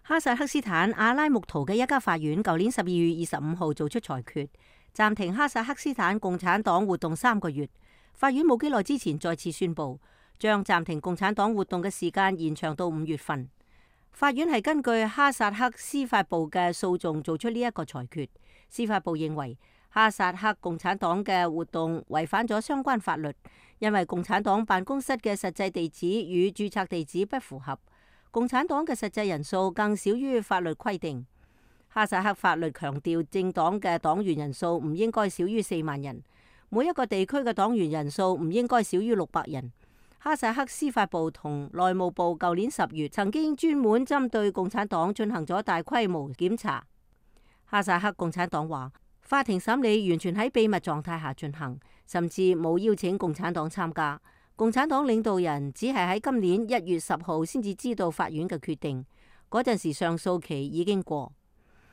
哈薩克斯坦阿拉木圖嘅一家法院舊年12月25號做出裁決，暫停哈薩克斯坦共產黨活動3個月。法院冇幾耐之前再次宣布，將暫停共產黨活動嘅時間延長到5月份。法院係根據哈薩克司法部嘅訴訟做出呢一個裁決。司法部認為哈薩克共產黨嘅活動違反咗相關法律，因為共產黨辦公室嘅實際地址與註冊地址不符合。共產黨嘅實際人數更少於法律規定。哈薩克法律強調政黨嘅黨員人數唔應該少於4萬人，每一個地區嘅黨員人數唔應該少於600人。哈薩克司法部同內務部舊年10月曾經專門針對共產黨進行咗大規模檢查。哈薩克共產黨話，法庭審理完全喺秘密狀態下進行，甚至冇邀請共產黨參加。共產黨領導人只係喺今年1月10號先至知道法院嘅決定，嗰陣時上訴期已經過。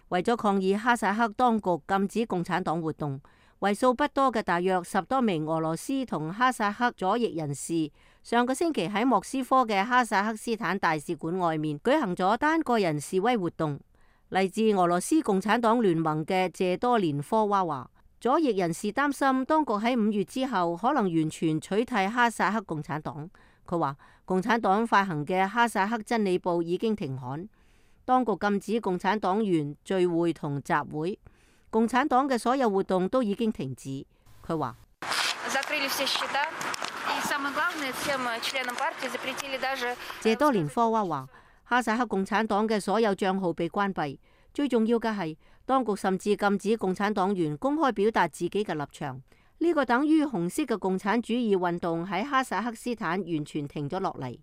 為咗抗議哈薩克當局禁止共產黨活動，為數不多嘅大約10多名俄羅斯同哈薩克左翼人士，上個星期喺莫斯科嘅哈薩克斯坦大使館外面舉行咗單個人示威活動。嚟自俄羅斯共產黨聯盟嘅謝多連科娃話，左翼人士擔心當局喺5月之後可能完全取締哈薩克共產黨。佢話共產黨發行嘅哈薩克真理報已經停刊，當局禁止共產黨員聚會同集會，共產黨嘅所有活動都已經停止。佢話謝多連科娃話，哈薩克共產黨嘅所有賬號被關閉，最重要嘅係當局甚至禁止共產黨員公開表達自己嘅立場。呢個等於紅色嘅共產主義運動喺哈薩克斯坦完全停咗落嚟。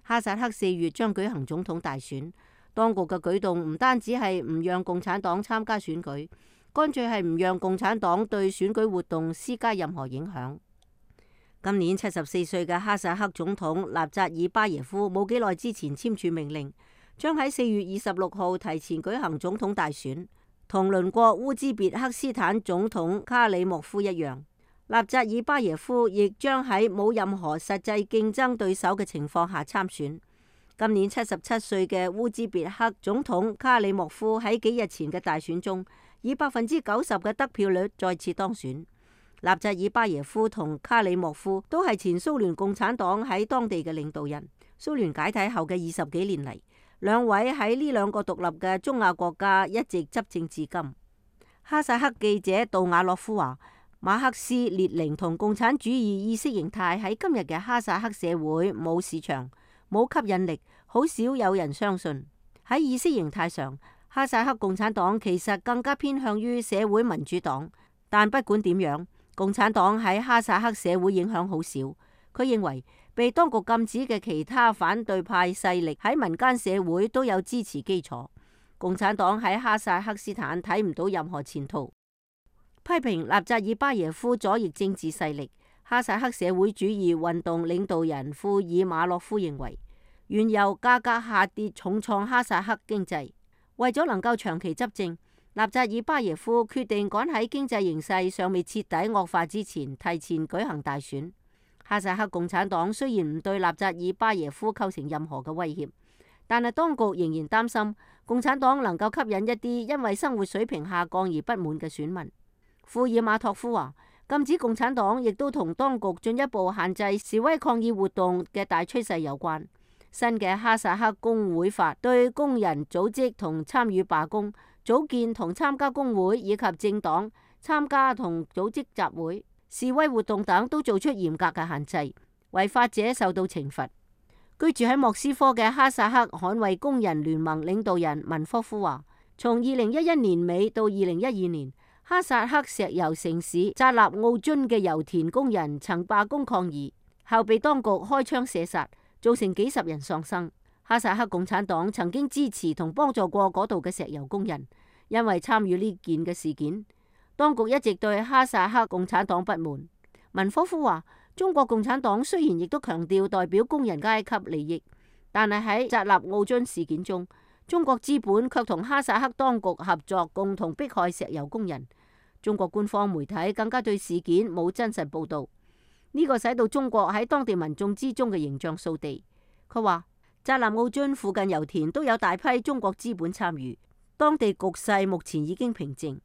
哈薩克4月將舉行總統大選，當局嘅舉動唔單止係唔讓共產黨參加選舉，乾脆係唔讓共產黨對選舉活動施加任何影響。今年74歲嘅哈薩克總統納扎爾巴耶夫冇幾耐之前簽署命令，將喺4月26號提前舉行總統大選，同鄰國烏茲別克斯坦總統卡里莫夫一樣。納扎爾巴耶夫亦將喺冇任何實際競爭對手嘅情況下參選。今年77歲嘅烏茲別克總統卡里莫夫喺幾日前嘅大選中，以90%嘅得票率再次當選。納扎爾巴耶夫同卡里莫夫都係前蘇聯共產黨喺當地嘅領導人。蘇聯解體後嘅20幾年嚟，兩位喺呢兩個獨立嘅中亞國家一直執政至今。哈薩克記者杜瓦洛夫話，馬克思列寧同共產主義意識形態喺今日嘅哈薩克社會冇市場、冇吸引力，好少有人相信。喺意識形態上，哈薩克共產黨其實更加偏向於社會民主黨，但不管點樣，共產黨喺哈薩克社會影響好少。佢認為被當局禁止嘅其他反對派勢力喺民間社會都有支持基礎。共產黨喺哈薩克斯坦睇唔到任何前途。批評納扎爾巴耶夫左翼政治勢力，哈薩克社會主義運動領導人庫爾馬洛夫認為，原油價格下跌重創哈薩克經濟。為咗能夠長期執政，納扎爾巴耶夫決定趕喺經濟形勢尚未徹底惡化之前提前舉行大選。哈薩克共產黨雖然唔對納扎爾巴耶夫構成任何嘅威脅，但係當局仍然擔心共產黨能夠吸引一啲因為生活水平下降而不滿嘅選民。庫爾馬托夫話，禁止共產黨亦都同當局進一步限制示威抗議活動嘅大趨勢有關。新嘅哈薩克工會法對工人組織同參與罷工、組建同參加工會以及政黨參加同組織集會、示威活動等都做出嚴格嘅限制，違法者受到懲罰。居住喺莫斯科嘅哈薩克捍衛工人聯盟領導人文科夫話，從2011年尾到2012年，哈薩克石油城市扎納奧津嘅油田工人曾罷工抗議，後被當局開槍射殺，造成幾十人喪生。哈薩克共產黨曾經支持同幫助過嗰度嘅石油工人，因為參與呢件嘅事件，當局一直對哈薩克共產黨不滿。文科夫話，中國共產黨雖然亦都強調代表工人階級利益，但係喺扎納奧津事件中，中國資本卻同哈薩克當局合作，共同迫害石油工人。中國官方媒體更加對事件冇真實報導，呢個使到中國喺當地民眾之中嘅形象掃地。佢話，扎納奧津附近油田都有大批中國資本參與，當地局勢目前已經平靜。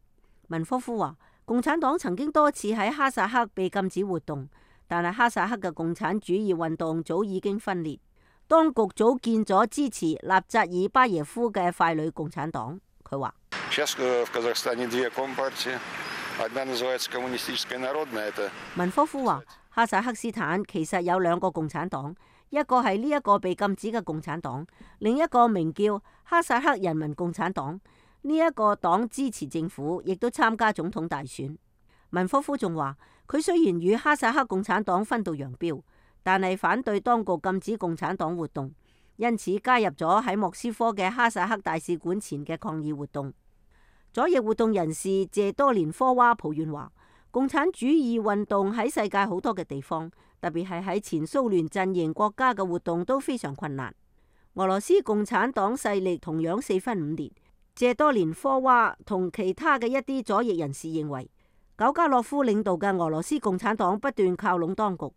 文科夫話，共產黨曾經多次喺哈薩克被禁止活動，但係哈薩克嘅共產主義運動早已經分裂，當局組建咗支持納扎爾巴耶夫嘅傀儡共產黨。佢話，文科夫話，哈薩克斯坦其實有兩個共產黨，一個係呢一個被禁止嘅共產黨，另一個名叫哈薩克人民共產黨。呢一個黨支持政府，亦都參加總統大選。文科夫仲話，佢雖然與哈薩克共產黨分道揚鑣，但係反對當局禁止共產黨活動，因此加入咗喺莫斯科嘅哈薩克大使館前嘅抗議活動。左翼活動人士謝多連科娃抱怨話，共產主義運動喺世界好多嘅地方，特別係喺前蘇聯陣營國家嘅活動都非常困難。俄羅斯共產黨勢力同樣四分五裂。謝多連科娃同其他嘅一啲左翼人士認為，久加諾夫領導嘅俄羅斯共產黨不斷靠攏當局，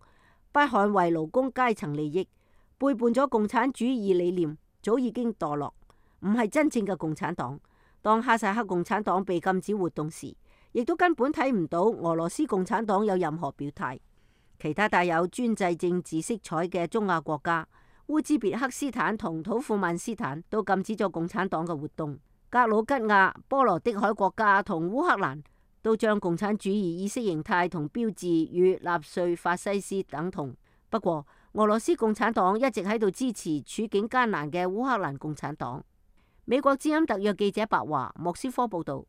不捍衛勞工階層利益，背叛咗共產主義理念，早已經墮落，唔係真正嘅共產黨。當哈薩克共產黨被禁止活動時，亦都根本睇唔到俄羅斯共產黨有任何表態。其他帶有專制政治色彩嘅中亞國家，烏茲別克斯坦同土庫曼斯坦都禁止咗共產黨嘅活動。格魯吉亞、波羅的海國家同烏克蘭都將共產主義意識形態同標誌與納粹法西斯等同。不過，俄羅斯共產黨一直喺度支持處境艱難嘅烏克蘭共產黨。美國之音特約記者白華，莫斯科報道。